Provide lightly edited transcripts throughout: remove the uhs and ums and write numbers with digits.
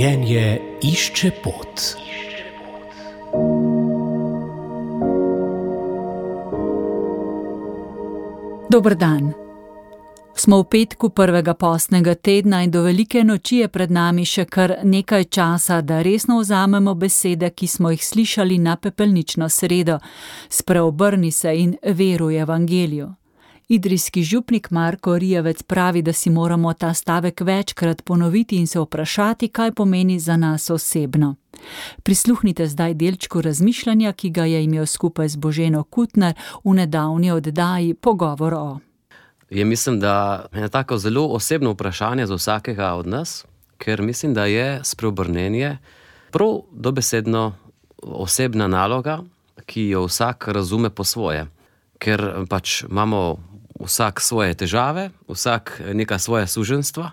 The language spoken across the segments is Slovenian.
Življenje išče pot. Dober dan. Smo v petku prvega postnega tedna in do velike noči je pred nami še kar nekaj časa, da resno vzamemo besede, ki smo jih slišali na pepelnično sredo. Spreobrni se in veruj evangeliju. Idrijski župnik Marko Rijavec pravi, da si moramo ta stavek večkrat ponoviti in se vprašati, kaj pomeni za nas osebno. Prisluhnite zdaj delčku razmišljanja, ki ga je imel skupaj z Boženo Kutner v nedavni oddaji Pogovor o. Mislim, da je tako zelo osebno vprašanje za vsakega od nas, ker mislim, da je spreobrnenje prav dobesedno osebna naloga, ki jo vsak razume po svoje. Ker pač imamo vsak svoje težave, vsak neka svoja suženjstva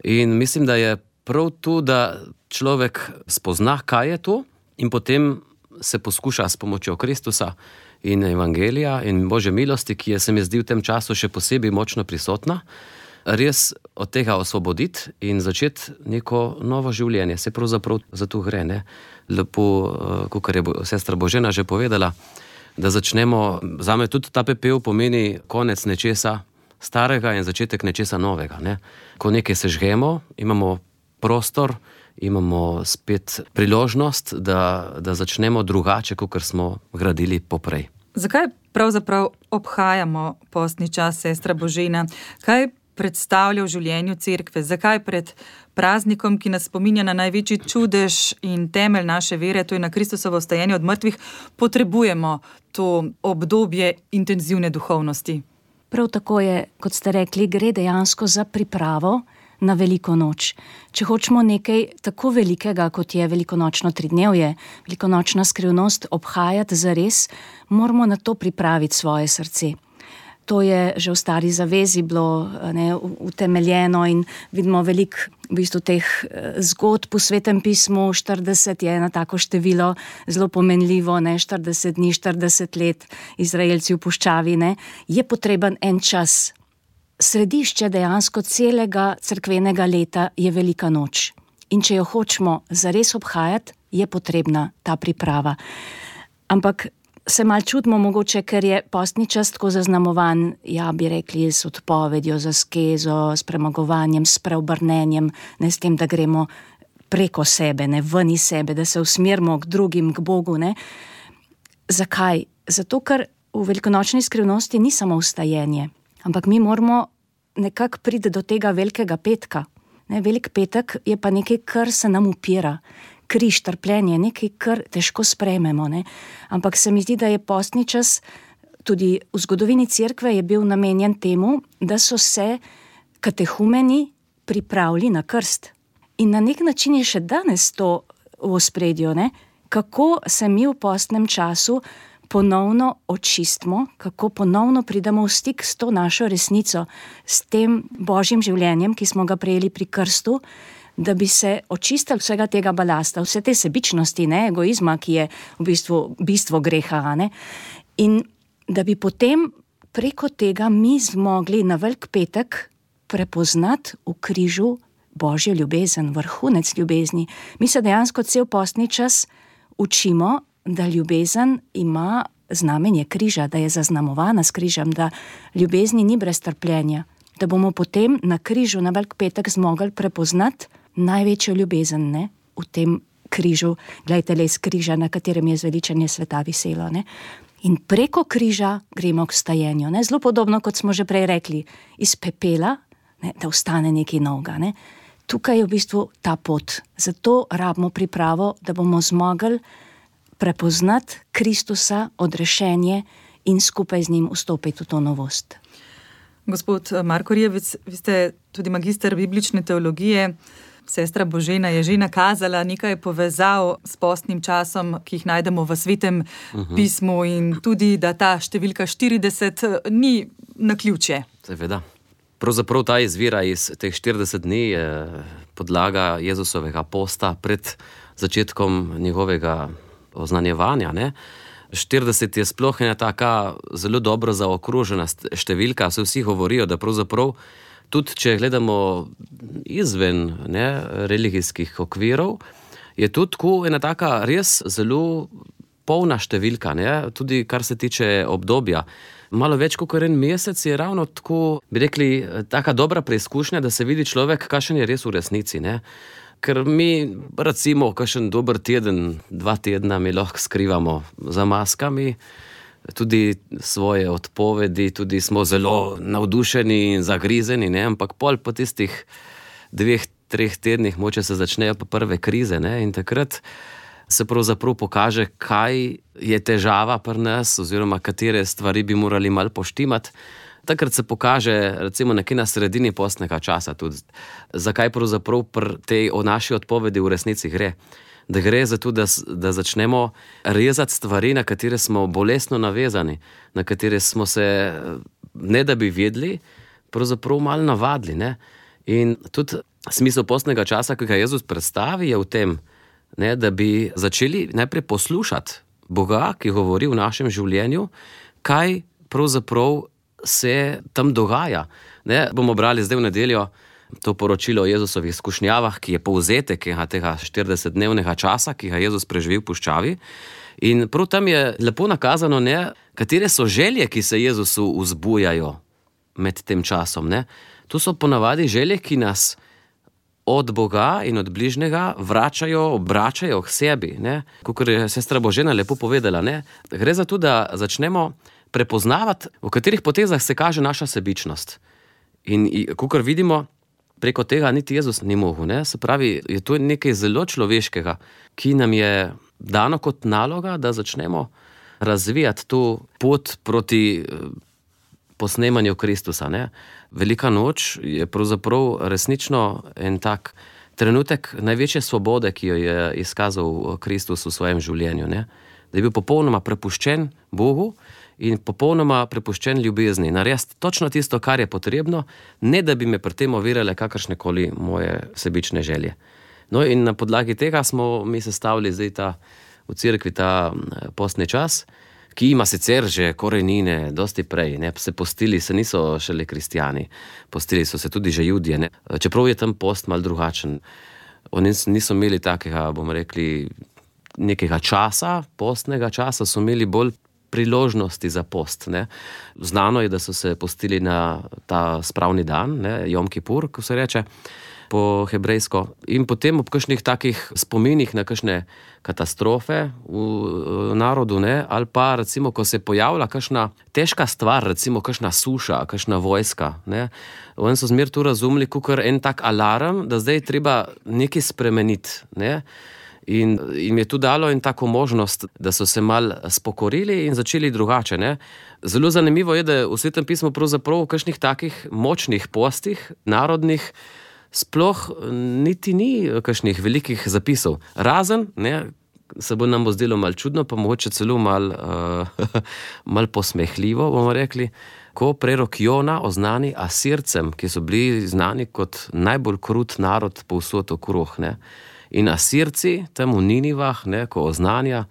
in mislim, da je prav tu, da človek spozna, kaj je to in potem se poskuša s pomočjo Kristusa in evangelija in Božje milosti, ki je se mi zdi v tem času še posebej močno prisotna, res od tega osvoboditi in začeti neko novo življenje. Se pravzaprav za to gre, ne? Lepo, kakor je sestra Božena že povedala, da začnemo, zame tudi ta pepel pomeni konec nečesa starega in začetek nečesa novega, ne? Ko nekaj sežgemo, imamo prostor, imamo spet priložnost, da začnemo drugače, kakor smo gradili poprej. Zakaj pravzaprav obhajamo postni čas, sestra Božena? Kaj predstavlja v življenju cerkve? Zakaj pred praznikom, ki nas spominja na največji čudež in temelj naše vere, to je na Kristusovo vstajanje od mrtvih, potrebujemo to obdobje intenzivne duhovnosti? Prav tako je, kot ste rekli, gre dejansko za pripravo na veliko noč. Če hočemo nekaj tako velikega, kot je velikonočno tridnevje, velikonočna skrivnost obhajati zares, moramo na to pripraviti svoje srce. To je že v Stari zavezi bilo utemeljeno in vidimo veliko v bistvu teh zgodb v Svetem pismu. 40 je eno tako število, zelo pomenljivo, 40 dni, 40 let, Izraelci v puščavi, je potreben en čas. Središče dejansko celega cerkvenega leta je velika noč. In če jo hočemo zares obhajati, je potrebna ta priprava. Ampak se malo čudimo mogoče, ker je postni čas tako zaznamovan, bi rekli, s odpovedjo, z askezo, s premagovanjem, s preobrnenjem, s tem, da gremo preko sebe, ven iz sebe, da se usmerimo k drugim, k Bogu. Zakaj? Zato, ker v velikonočni skrivnosti ni samo vstajenje, ampak mi moramo nekako priti do tega velikega petka. Velik petek je pa nekaj, kar se nam upira. Križ, trpljenje, nekaj, kar težko sprejmemo. Ampak se mi zdi, da je postni čas, tudi v zgodovini cerkve je bil namenjen temu, da so se katehumeni pripravili na krst. In na nek način je še danes to v ospredju, kako se mi v postnem času ponovno očistimo, kako ponovno pridemo v stik s to našo resnico, s tem Božjim življenjem, ki smo ga prejeli pri krstu, da bi se očistili vsega tega balasta, vse te sebičnosti, egoizma, ki je v bistvu bistvo greha. In da bi potem preko tega mi zmogli na velik petek prepoznati v križu Božjo ljubezen, vrhunec ljubezni. Mi se dejansko cel postni čas učimo, da ljubezen ima znamenje križa, da je zaznamovana s križem, da ljubezni ni brez trpljenja, da bomo potem na križu na velik petek zmogli prepoznati največjo ljubezen, v tem križu, glejte les križa, na katerem je zveličanje sveta viselo. In preko križa gremo k vstajenju. Zelo podobno, kot smo že prej rekli, iz pepela, da vstane nekaj novega. Tukaj je v bistvu ta pot. Zato rabimo pripravo, da bomo zmogli prepoznati Kristusa, odrešenje in skupaj z njim vstopiti v to novost. Gospod Marko Rijavec, vi ste tudi magister biblične teologije. Sestra Božena je že nakazala nekaj povezav s postnim časom, ki jih najdemo v Svetem pismu in tudi, da ta številka 40 ni naključje. Seveda. Pravzaprav ta izvira iz teh 40 dni je podlaga Jezusovega posta pred začetkom njegovega oznanjevanja. 40 je sploh ena taka zelo dobro zaokrožena številka. Vsi govorijo, da pravzaprav Tudi če gledamo izven religijskih okvirov, je tudi tako ena taka res zelo polna številka, tudi kar se tiče obdobja. Malo več kot 1 mesec je ravno tako, bi rekli, taka dobra preizkušnja, da se vidi človek, kakšen je res v resnici. Ker mi, recimo, kakšen dober teden, 2 tedna mi lahko skrivamo za maskami, tudi svoje odpovedi, tudi smo zelo navdušeni in zagrizeni, ampak pol po tistih 2-3 tednih moče se začnejo pa prve krize, in takrat se pravzaprav pokaže, kaj je težava pri nas oziroma katere stvari bi morali malo poštimati. Takrat se pokaže recimo nekje na sredini postnega časa tudi, zakaj pravzaprav pri tej o naši odpovedi v resnici gre. Da gre za to, da začnemo rezati stvari, na katere smo bolestno navezani, na katere smo se, ne da bi vedeli, pravzaprav malo navadili. In tudi smisel postnega časa, ki ga Jezus predstavi, je v tem, da bi začeli najprej poslušati Boga, ki govori v našem življenju, kaj pravzaprav se tam dogaja. Bomo brali zdaj v nedeljo to poročilo o Jezusovih izkušnjavah, ki je povzetek tega 40-dnevnega časa, ki ga Jezus preživi v puščavi. In prav tam je lepo nakazano, katere so želje, ki se Jezusu vzbujajo med tem časom. To so ponavadi želje, ki nas od Boga in od bližnjega obračajo k sebi. Kakor je sestra Božena lepo povedala, gre za to, da začnemo prepoznavati, v katerih potezah se kaže naša sebičnost. In kakor vidimo, preko tega niti Jezus ni mogel. Se pravi, je to nekaj zelo človeškega, ki nam je dano kot naloga, da začnemo razvijati to pot proti posnemanju Kristusa. Velika noč je pravzaprav resnično en tak trenutek največje svobode, ki jo je izkazal Kristus v svojem življenju. Da je bil popolnoma prepuščen Bogu in popolnoma prepuščen ljubezni. Narediti točno tisto, kar je potrebno, ne da bi me pri tem ovirale kakršnekoli moje sebične želje. No in na podlagi tega smo mi sestavili zdaj v cerkvi ta postni čas, ki ima sicer že korenine dosti prej. Se postili se niso šele kristjani, postili so se tudi že Judje. Čeprav je tam post malo drugačen. Oni niso imeli takega, bomo rekli, nekega časa, postnega časa, so imeli bolj priložnosti za post. Znano je, da so se postili na ta spravni dan, Jom Kipur, ko se reče po hebrejsko. In potem ob kakšnih takih spominih na kakšne katastrofe v narodu, ali pa recimo, ko se pojavlja kakšna težka stvar, recimo kakšna suša, kakšna vojska. Oni so zmer tu razumeli kakor en tak alarm, da zdaj je treba nekaj spremeniti. In jim je tu dalo in tako možnost, da so se mal spokorili in začeli drugače. Zelo zanimivo je, da v Svetem pismu pravzaprav v kakšnih takih močnih postih, narodnih, sploh niti ni kakšnih velikih zapisov. Razen, se bo nam zdelo malo čudno, pa mogoče celo malo posmehljivo, bomo rekli, ko prerok Jona oznani Asircem, ki so bili znani kot najbolj krut narod povsod okrog. In Asirci tam v Ninivah, ko oznanja,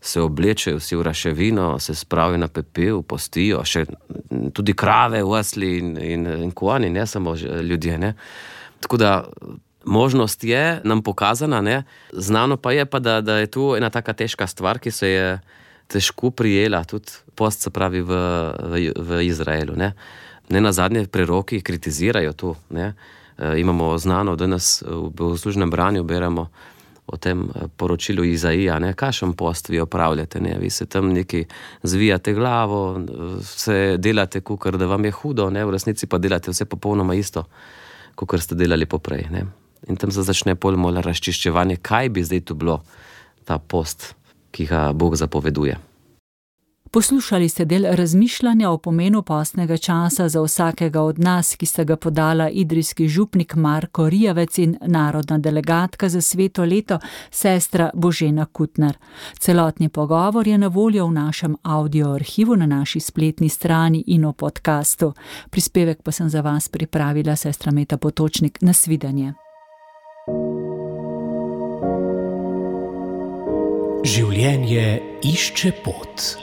se oblečejo vsi v raševino, se spravijo na pepel, postijo, še tudi krave, osli in konji, ne samo ljudje. Tako da možnost je nam pokazana, znano pa je, da je tu ena taka težka stvar, ki se je težko prijela, tudi post, se pravi v Izraelu. Ne nazadnje preroki kritizirajo to. Imamo znano, danes v bogoslužnem branju beremo o tem poročilu Izaija, kakšen post vi opravljate, vi se tam neki zvijate glavo, se delate, kakor da vam je hudo, v resnici pa delate vse popolnoma isto, kakor ste delali poprej. In tam se začne polno razčiščevanje, kaj bi zdaj tu bilo ta post, ki ga Bog zapoveduje. Poslušali ste del razmišljanja o pomenu postnega časa za vsakega od nas, ki sta ga podala idrijski župnik Marko Rijavec in narodna delegatka za sveto leto sestra Božena Kutner. Celotni pogovor je na voljo v našem audio arhivu na naši spletni strani in v podkastu. Prispevek pa sem za vas pripravila sestra Meta Potočnik. Nasvidenje. Življenje išče pot.